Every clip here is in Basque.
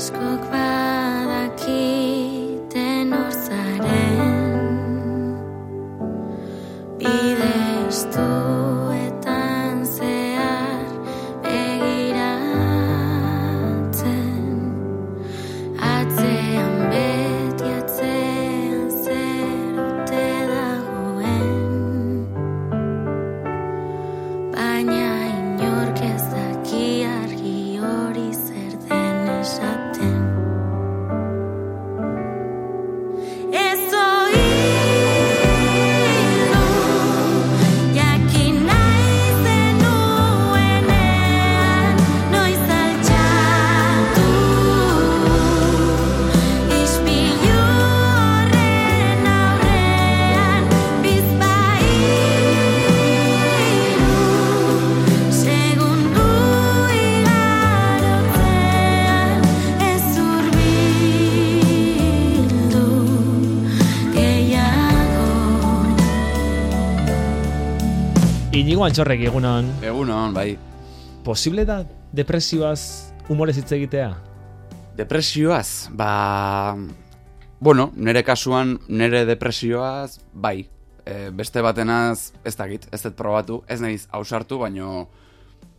askok badakiten hor zaren, bide estuetan zehar begiratzen, atzean beti atzean zer ote dagoen, baina inork ez daki argi hori zer den esaten. Ez oidu, jakin nahi zenuenean, noiz altxatu, ispilu horren aurrean, bizpahiru, segundu igarotzean, ez hurbildu gehiago. Inigo Antxorrek, egunon. Egunon, bai. Posible da depresioaz humorez hitz egitea? Depresioaz, bueno, nire kasuan, nire depresioaz, bai. Beste batenaz, ez dakit, ez dut probatu, ez nahiz ausartu, baino,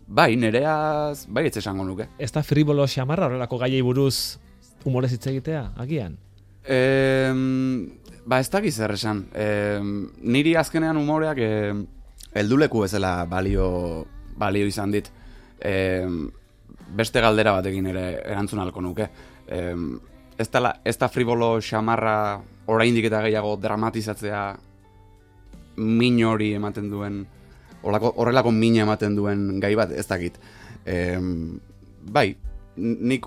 bai, nireaz, bai ez esango nuke. Ez da fribolo xamarra horrelako gaiei buruz humorez hitz egitea, agian? Ez dakit zer esan. Niri azkenean umoreak helduleku bezala balio izan dit. Beste galdera batekin ere erantzun halko nuke. Ez da fribolo xamarra oraindik eta gehiago dramatizatzea min hori ematen duen, horrelako mina ematen duen gai bat, ez dakit. Bai, nik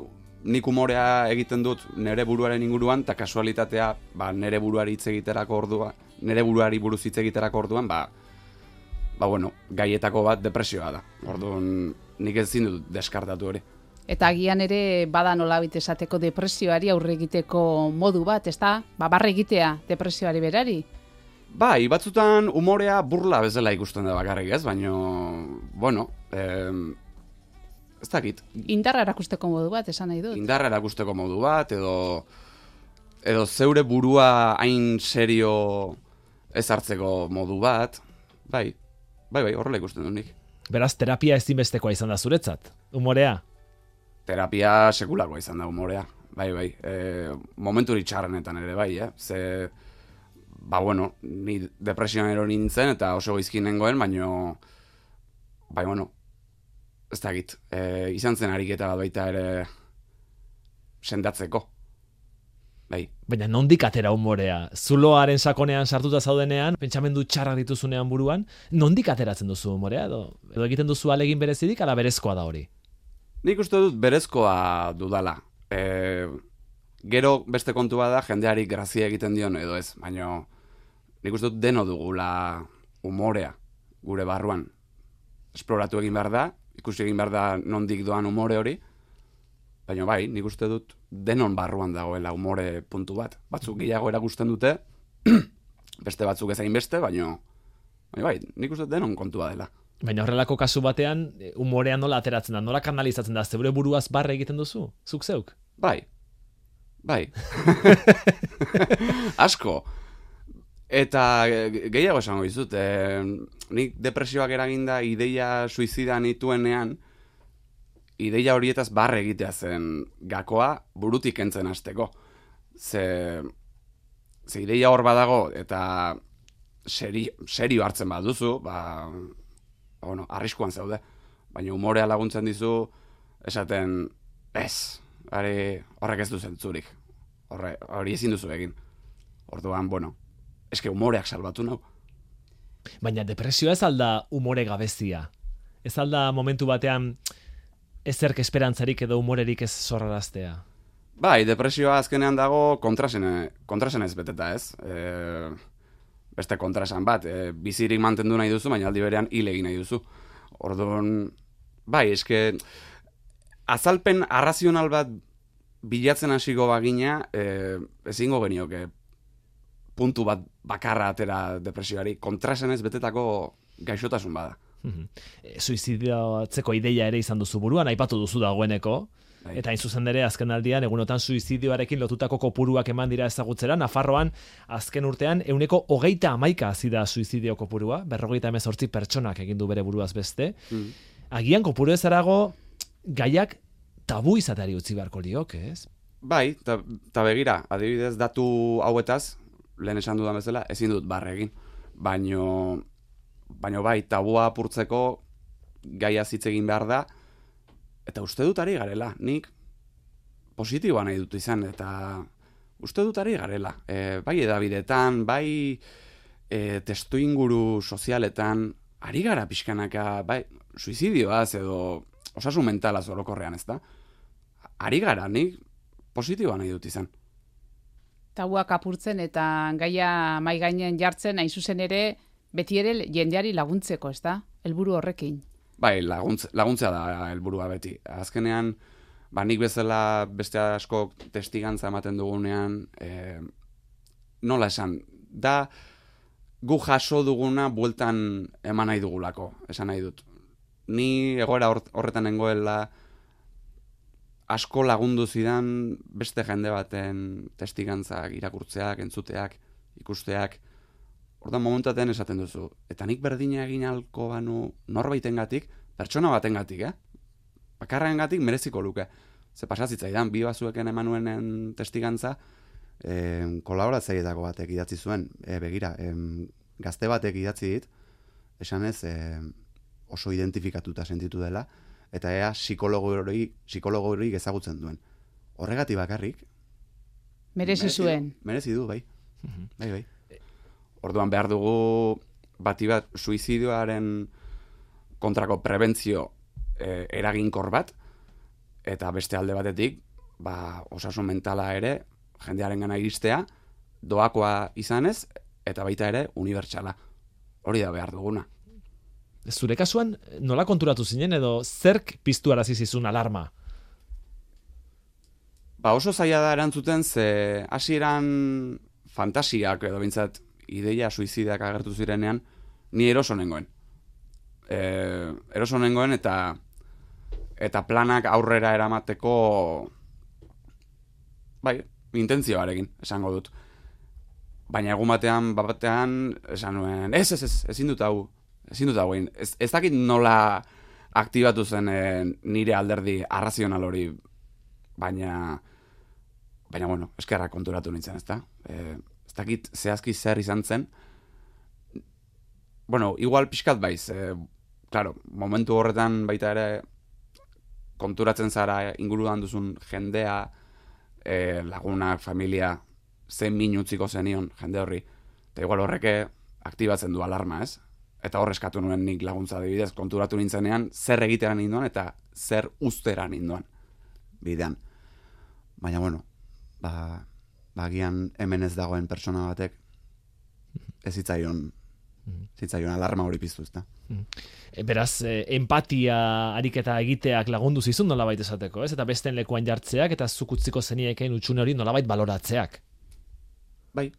umorea egiten dut nire buruaren inguruan, eta kasualitatea nire buruari hitz egiterako orduan, nire buruari buruz hitz egiterako orduan, bueno, gaietako bat depresioa da. Orduan, nik ezin dut deskartatu hori. Eta agian ere bada nolabait esateko depresioari aurre egiteko modu bat, ezta? Barre egitea depresioari berari. Bai, batzutan umorea burla bezala ikusten da bakarrik, ez? Baina, bueno, ez dakit. Indarra erakusteko modu bat, esan nahi dut. Indarra erakusteko modu bat, edo zeure burua hain serio ez hartzeko modu bat. Bai, horrela ikusten dut nik. Beraz, terapia ezinbestekoa izan da zuretzat, umorea? Terapia sekulakoa izan da umorea, bai. Momenturi txarrenetan ere bai, Ze, bueno, ni depresioan erori nintzen eta oso gaizki nengoen, baino, bueno, ez dakit, izan zen ariketa bat baita ere sendatzeko. Bai. Baina nondik atera umorea? Zuloaren sakonean sartuta zaudenean, pentsamendu txarrak dituzunean buruan, nondik ateratzen duzu umorea? Edo egiten duzu alegin berezidik, ala berezkoa da hori? Nik uste dut berezkoa dudala. Gero beste kontua da jendeari grazia egiten dion edo ez, baina nik uste dut deno dugula umorea gure barruan. Esploratu egin behar da, ikusi egin behar da nondik doan umore hori, baina bai, nik uste dut denon barruan dagoela umore puntu bat. Batzuk gehiago erakusten dute, beste batzuk ezain beste, baina bai, nik uste dut denon kontua dela. Baina horrelako kasu batean, umorea nola ateratzen da, nola kanalizatzen da, zeure buruaz barre egiten duzu, zuk zeuk? Bai. Asko. Eta gehiago esango dizut, nik depresioak eraginda ideia suizida nituenean, ideia horietaz barre egitea zen gakoa burutik kentzen hasteko. Ze ideia hor badago eta serio hartzen baduzu, bueno, arriskuan zaude. Baina umorea laguntzen dizu, esaten, horrek ez du zentzurik. Hori ezin duzu egin. Orduan, bueno, eske umoreak salbatu nau. Baina depresioa ez alda umore gabezia. Ez alda momentu batean ezerk esperantzarik edo umorerik ez zorraraztea. Bai, depresioa azkenean dago kontrasenez beteta, ez? Beste kontrasan bat, bizirik mantendu nahi duzu, baina aldi berean hil egin nahi duzu. Orduan, bai, eske azalpen arrazional bat bilatzen hasiko bagina, ezingo genioke puntu bat bakarra atera depresioari, kontrasenez betetako gaixotasun bada. Suizidioatzeko ideia ere izan duzu buruan, aipatu duzu dagoeneko, Bai. eta hain zuzen ere azken aldian egunotan suizidioarekin lotutako kopuruak eman dira ezagutzera. Nafarroan azken urtean 31% hazi da suizidio kopurua, 58 pertsonak egin du bere buruaz beste. Agian kopuru ezarago gaiak tabu izateari utzi beharko lioke, ez? Bai, eta begira, adibidez datu hauetaz, lehen esan dudan bezala, ezin dut barre egin. Baino bai, tabua apurtzeko gaia hitz egin behar da, eta uste dut ari garela. Nik positiboa nahi dut izan, eta uste dut ari garela. Bai edabidetan, bai testu inguru sozialetan, ari gara pixkanaka, bai, suizidioaz edo osasun mentalaz orokorrean, ez da? Ari gara, nik positiboa nahi dut izan. Tabuak apurtzen eta gaia mai gainen jartzen, hain zuzen ere, beti ere jendeari laguntzeko, ez da? Helburu horrekin. Bai, laguntzea da helburua beti. Azkenean, nik bezala beste asko testigantza ematen dugunean, nola esan, da gu jaso duguna bueltan eman nahi dugulako, esan nahi dut. Ni egoera horretan nengoela asko lagundu zidan beste jende baten testigantzak, irakurtzeak, entzuteak, ikusteak. Ordan momentaten esaten duzu. Eta nik berdina egin alko banu norbaitengatik, pertsona batengatik, bakarrengatik mereziko luke. Ze pasazitzaidan, bi bazueken emanuenen testigantza, kolaboratzaileetako batek idatzi zuen. Begira, gazte batek idatzi dit, esanez oso identifikatuta sentitu dela, eta ea psikologo hori ezagutzen duen. Horregatik bakarrik. Merezi zuen. Merezi du, bai. Bai. Orduan behar dugu bati bat suizidioaren kontrako prebentzio eraginkor bat, eta beste alde batetik, osasun mentala ere, jendearen gana iristea, doakoa izanez, eta baita ere unibertsala. Hori da behar duguna. Zure kasuan, nola konturatu zinen edo zerk piztu arazi zizun alarma? Oso zaila da erantzuten, ze hasieran fantasiak edo bintzat ideia suizidak agertu zirenean, ni eroso nengoen. Eroso nengoen eta planak aurrera eramateko intentzioarekin, esango dut. Baina egun batean esan nuen, ezin dut hau egin. Ez dakit nola aktibatu zen nire alderdi arrazional hori, baina bueno, eskerrak konturatu nintzen, ezta? Ez dakit zehazki zer izan zen. Bueno, igual pixkat baiz. Claro, momentu horretan baita ere konturatzen zara inguruan duzun jendea, lagunak, familia, zen min utziko zenion jende horri. Eta igual horreke aktibatzen du alarma, ez? Eta hor eskatu nuen nik laguntza adibidez, konturatu nintzenean zer egiteran ninduan eta zer uzteran ninduan bidean. Baina bueno, agian hemen ez dagoen pertsona batek ez zitzaion alarma hori piztu, ezta? Beraz, empatia ariketa egiteak lagundu zizun nolabait esateko, ez? Eta besteen lekuan jartzeak eta zuk utziko zeniekeen hutsune hori nolabait baloratzeak. Bai,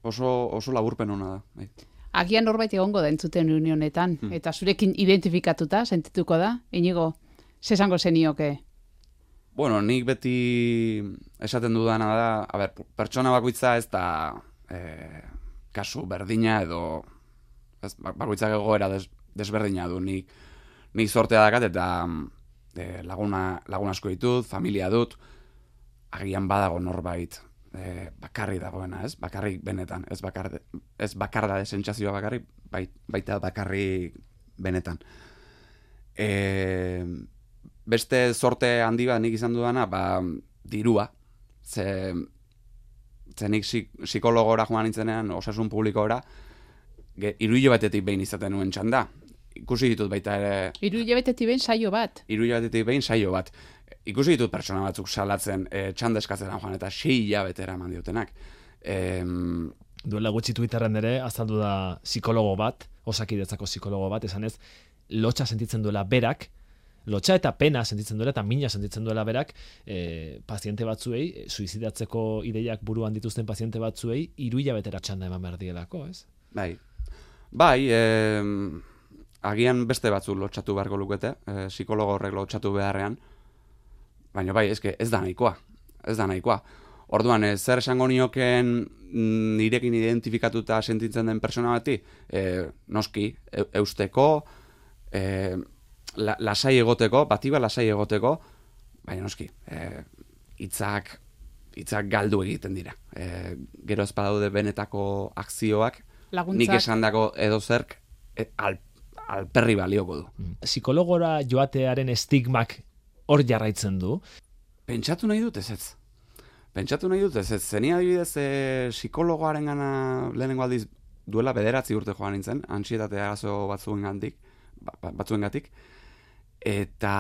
oso laburpen ona da. Bai. Agian norbait egongo da entzuten unionetan, eta zurekin identifikatuta sentituko da, Inigo, zesango zenioke? Bueno, nik beti esaten dudana da, pertsona bakoitza ez da kasu berdina edo bakoitzak egoera desberdina du. Nik sortea dakat eta lagun asko ditut, familia dut, agian badago norbait bakarri dagoena, ez? Bakarrik benetan, ez bakarda de sentsazioa bakarrik, baita bakarrik benetan. Beste sorte handi bat nik izan dudana, dirua. Ze nik psikologora joan nintzenean, osasun publikora, 3 hilabetetik behin izaten nuen txanda. Ikusi ditut baita ere... 3 hilabetetik behin saio bat? 3 hilabetetik behin saio bat. Ikusi ditut pertsona batzuk salatzen txanda eskatzen joan, eta 6 hilabetera eman diotenak. Duela gutxi Twitterren ere, azaldu da psikologo bat, Osakidetzako psikologo bat, esanez, lotxa sentitzen duela berak, lotxa eta pena sentitzen duela eta mina sentitzen duela berak paziente batzuei, suizidatzeko ideiak buruan dituzten paziente batzuei 3 hilabetera txanda eman behar dielako, ez? Bai, agian beste batzu lotxatu beharko lukete, psikologo horrek lotxatu beharrean, baina bai, eske ez da nahikoa. Ez da nahikoa. Orduan, zer esango nioken nirekin identifikatuta sentitzen den persona bati, noski, eusteko, lasai egoteko, batiba lasai egoteko, baina noski, hitzak galdu egiten dira. Gero ez badaude benetako akzioak, Laguntzak. nik esandako edo zerk alperri balioko du. Psikologora joatearen estigmak hor jarraitzen du. Pentsatu nahi dut ez. Zeni adibidez psikologoaren gana lehenengo aldiz duela 9 urte joan nintzen, antsietate arazo batzuengatik, eta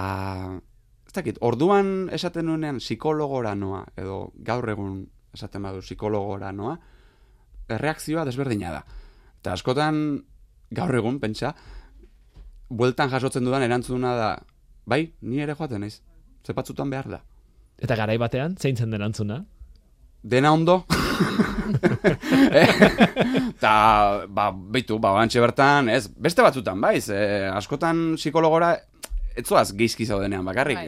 ez dakit, orduan esaten nuenean psikologora noa, edo gaur egun esaten badu psikologora noa, erreakzioa desberdina da. Eta askotan gaur egun, pentsa, bueltan jasotzen dudan erantzuna da, bai, ni ere joaten naiz, ze batzutan behar da. Eta garai batean, zein zen erantzuna? Dena ondo. Eta, bantxe bertan, ez, beste batzutan, baiz, askotan psikologora, etzoaz geizki zaudenean bakarrik.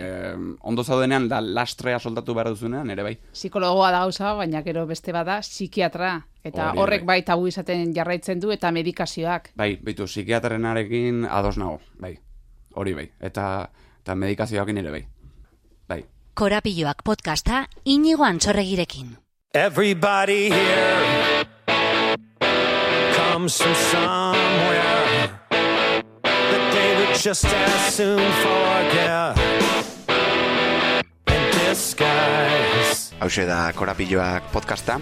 Ondo zaudenean, lastrea soldatu behar duzunean, ere bai. Psikologoa da gauza, baina gero beste bada psikiatra. Eta Hori horrek bai tabu izaten jarraitzen du eta medikazioak. Bai, psikiatrenarekin ados nago, bai. Hori bai. Eta medikazioakin ere bai. Bai. Korapilloak podcasta Inigo Antxorregirekin. Everybody here comes from somewhere that they would just as soon forget in disguise. Hauxe da Korapilloak podcasta,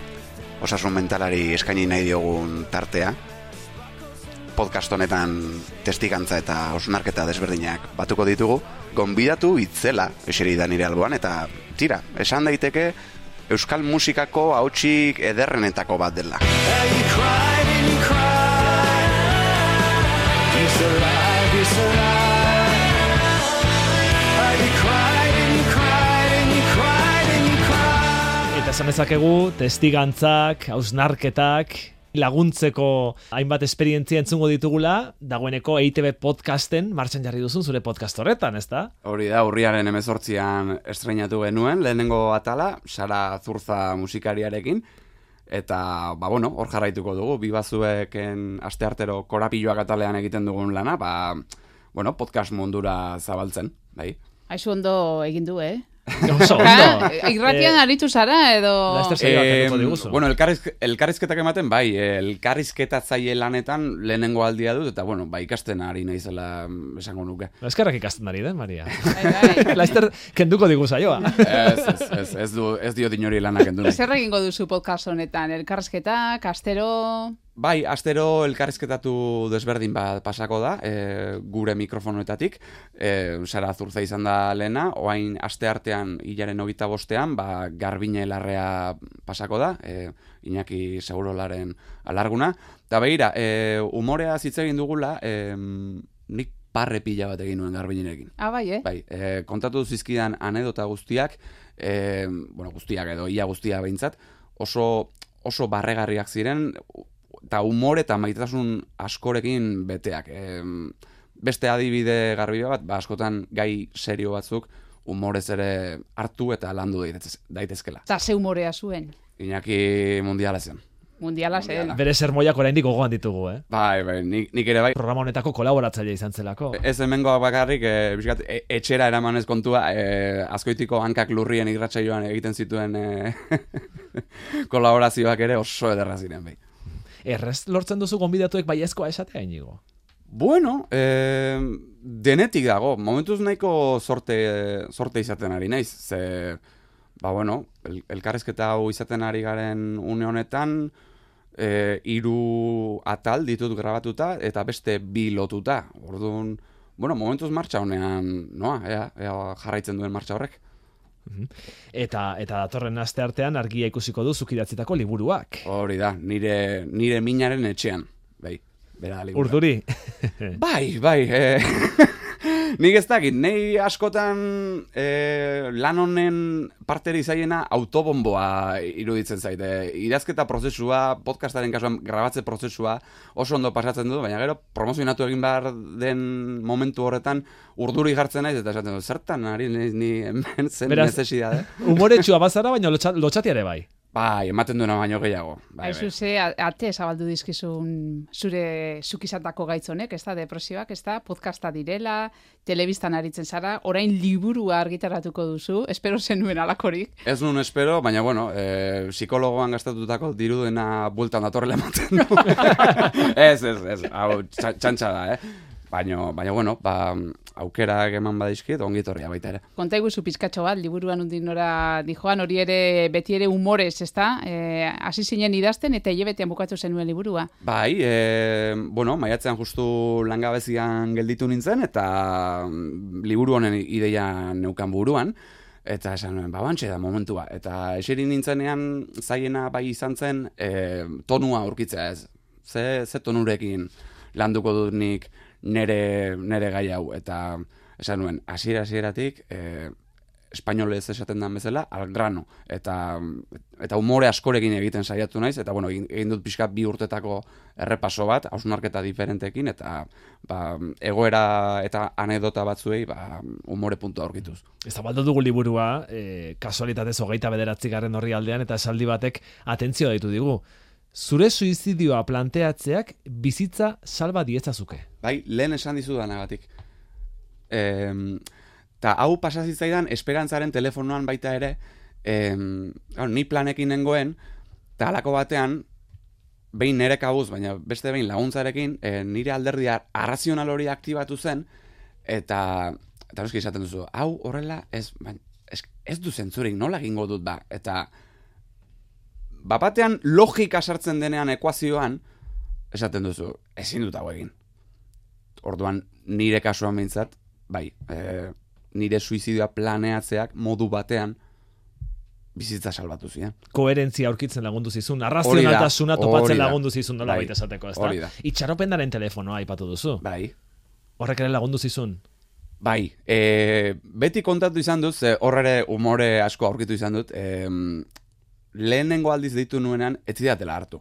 osasun mentalari eskaini nahi diogun tartea. Podcast honetan testigantza eta hausnarketa desberdinak batuko ditugu, gonbidatu itzela eseri da nire alboan, eta tira, esan daiteke euskal musikako hautsik ederrenetako bat dela. And you cried and you cried. He's alive, he's alive. And you cried and you cried and you cried and you cried. Eta esan dezakegu, testigantzak, hausnarketak, laguntzeko hainbat esperientzia entzungo ditugula, dagoeneko EITB podcasten martxan jarri duzun zure podcast horretan, ezta? Hori da, urriaren 18an estreinatu genuen, lehenengo atala, Sara Zurza musikariarekin, eta, hor jarraituko dugu, bibazueken asteartero Korapilloak atalean egiten dugun lana, podcast mundura zabaltzen, bai. Aizu ondo egin du, Oso ondo. Irratian aritu zara edo... Laster saioak egingo diguzu. Elkarrizketak ematen, bai, elkarrizketatzaile lanetan lehenengo aldia dut, eta, ikasten ari naizela esango nuke. Eskerrak ikasten ari den, Maria. Bai. Laster kenduko digu saioa. Ez dio dinori lanak kendu nahi. Zer egingo duzu podcast honetan? Elkarrizketak, astero... Bai, astero elkarrizketatu desberdin bat pasako da, gure mikrofonoetatik, Sara Zurza izan da lehena, oain aste artean hilaren 25ean, Garbine Larrea pasako da, Iñaki Segurolaren alarguna, eta begira, umorea hitz egin dugula, nik parre pila bat egin nuen Garbinerekin. Bai, Bai, kontatu zizkidan anedota guztiak, guztiak edo ia guztia behintzat, oso barregarriak ziren, eta umore eta maitasun askorekin beteak. Beste adibide garbi bat, askotan gai serio batzuk umorez ere hartu eta landu daitezkela. Eta ze humorea zuen? Iñaki mundiala zen. Mundiala zen. Bere sermoiak oraindik gogoan ditugu, Bai, nik ere bai. Programa honetako kolaboratzaile izan zelako. Ez hemengoa bakarrik, etxera eramanez kontua, Azkoitiko hankak lurrien irratsaioan egiten zituen kolaborazioak ere oso ederra ziren, bai. Errez lortzen duzu gonbidatuek baiezkoa esatea, Inigo? Bueno, denetik dago. Momentuz nahiko sorte izaten ari naiz. Ze, elkarrizketa hau izaten ari garen une honetan, 3 atal ditut grabatuta eta beste 2 lotuta. Orduan, momentuz martxa honean, ea jarraitzen duen martxa horrek. Eta datorren aste artean argia ikusiko du zuk idatzitako liburuak. Hori da, nire minaren etxean. Bai, bera liburua. Urduri. Bai. Nik ez dakit, nei askotan lan honen parteri zaiena autobomboa iruditzen zaite. Idazketa prozesua, podcastaren kasuan grabatze prozesua oso ondo pasatzen dut, baina gero promozionatu egin behar den momentu horretan urduri jartzen naiz, eta esaten dut, zertan ari ni hemen zen Beraz, necesidade. Umoretsua bazara, baina lotxatia ere bai. Bai, ematen duena baino gehiago. Bai, Aizu ze, ate zabaldu dizkizun zure zukizatako gaitz honek, ez da, depresioak, ez da, podcasta direla, telebistan aritzen zara, orain liburua argitaratuko duzu, espero zenuen alakorik. Ez nun espero, baina bueno, psikologoan gastatutako dirudena bueltan datorrela ematen du. ez, hau txantxa da, Baina, bueno, aukerak eman badizkit, ongi etorria baita ere. Konta iguzu pizkatxo bat, liburuan undin nora dijoan, hori ere, beti ere humorez, ez da? Hasi zinen idazten eta hilebetean bukatu zenuen liburua. Bai, bueno, maiatzean justu langabezian gelditu nintzen, eta liburu honen ideia neukan buruan, eta esan nuen, bantxe da momentua. Eta eseri nintzenean zaiena bai izan zen tonua aurkitzea ez. Ze tonurekin landuko dut nik nere gai hau, eta esan nuen, hasieratik espainolez esaten den bezala, al grano, eta umore askorekin egiten saiatu naiz, eta bueno, egin dut pixka 2 urtetako errepaso bat, hausnarketa diferentekin, eta egoera eta anekdota batzuei umore puntua aurkituz. Zabaldu dugu liburua, kasualitatez 29. orrialdean, eta esaldi batek atentzioa deitu digu. Zure suizidioa planteatzeak bizitza salba diezazuke. Bai, lehen esan dizudanagatik. Ta hau pasazitzaidan esperantzaren telefonoan baita ere, ni planekin nengoen, eta halako batean, behin nire kabuz, baina beste behin laguntzarekin, nire alderdia arrazional hori aktibatu zen, eta noski esaten duzu, hau horrela ez du zentzurik, nola egingo dut ba, eta batean logika sartzen denean ekuazioan, esaten duzu, ezin dut hau egin. Orduan, nire kasuan behintzat, bai, nire suizidioa planeatzeak modu batean bizitza salbatu ziren. Koherentzia aurkitzen lagundu zizun, arrazionaltasuna topatzen lagundu zizun nola baita esateko, ezta? Hori da. Itxaropendaren telefonoa aipatu duzu. Bai. Horrek ere lagundu zizun. Bai, beti kontatu izan dut, hor ere umore asko aurkitu izan dut, lehenengo aldiz deitu nuenean, ez zidatela hartu.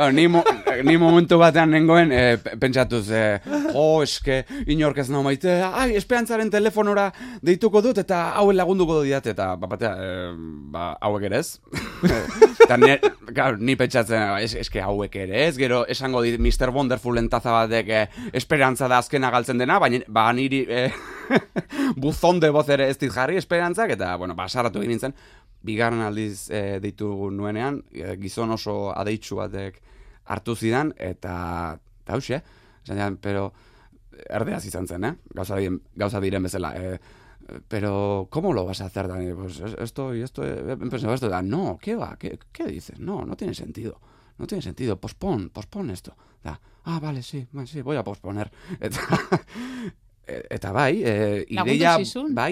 Ni momentu batean nengoen, pentsatuz, eske, inork ez nau maite, esperantzaren telefonora deituko dut, eta hauen lagunduko dut, eta hauek ere ez. Eta ni pentsatzen, eske hauek ere ez, gero esango dit Mr. Wonderfulen taza batek esperantza da azkena galtzen dena, baina niri buzon de voz ere ez dit jarri esperantzak, eta, bueno, saratu egin nintzen, bigarren aldiz deitu nuenean, gizon oso adeitsu batek hartu zidan, eta hauxe, pero erdeaz izan zen, gauza diren bezala, pero ¿cómo lo vas a hacer, Dani? Pues esto, no, ¿qué va? ¿Qué dices? No tiene sentido. No tiene sentido, pospon esto. Vale, sí, voy a posponer. Eta bai,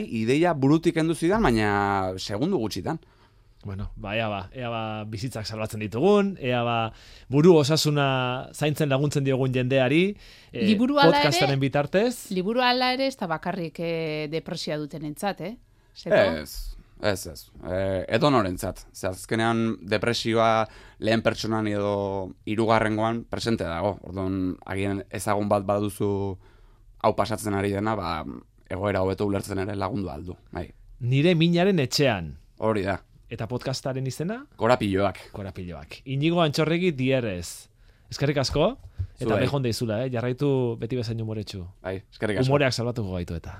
ideia burutik endu zidan, baina segundu gutxitan. Bueno, ea ba bizitzak salbatzen ditugun, ea ba buru osasuna zaintzen laguntzen diogun jendeari, podcastaren bitartez. Liburu ala ere ez da bakarrik depresioa dutenentzat, Ez. Edo norentzat. Azkenean depresioa lehen pertsonan edo 3. presente dago. Orduan, agian ezagun bat baduzu hau pasatzen ari dena, egoera hobeto ulertzen ere lagundu aldu. Bai. Nire minaren etxean. Hori da. Eta podcastaren izena? Korapiloak. Inigo Antxorregi dierrez. Eskerrik asko, eta behon deizula, jarraitu beti bezain umoretsu. Bai, eskerrik asko. Umoreak salbatuko gaitu eta.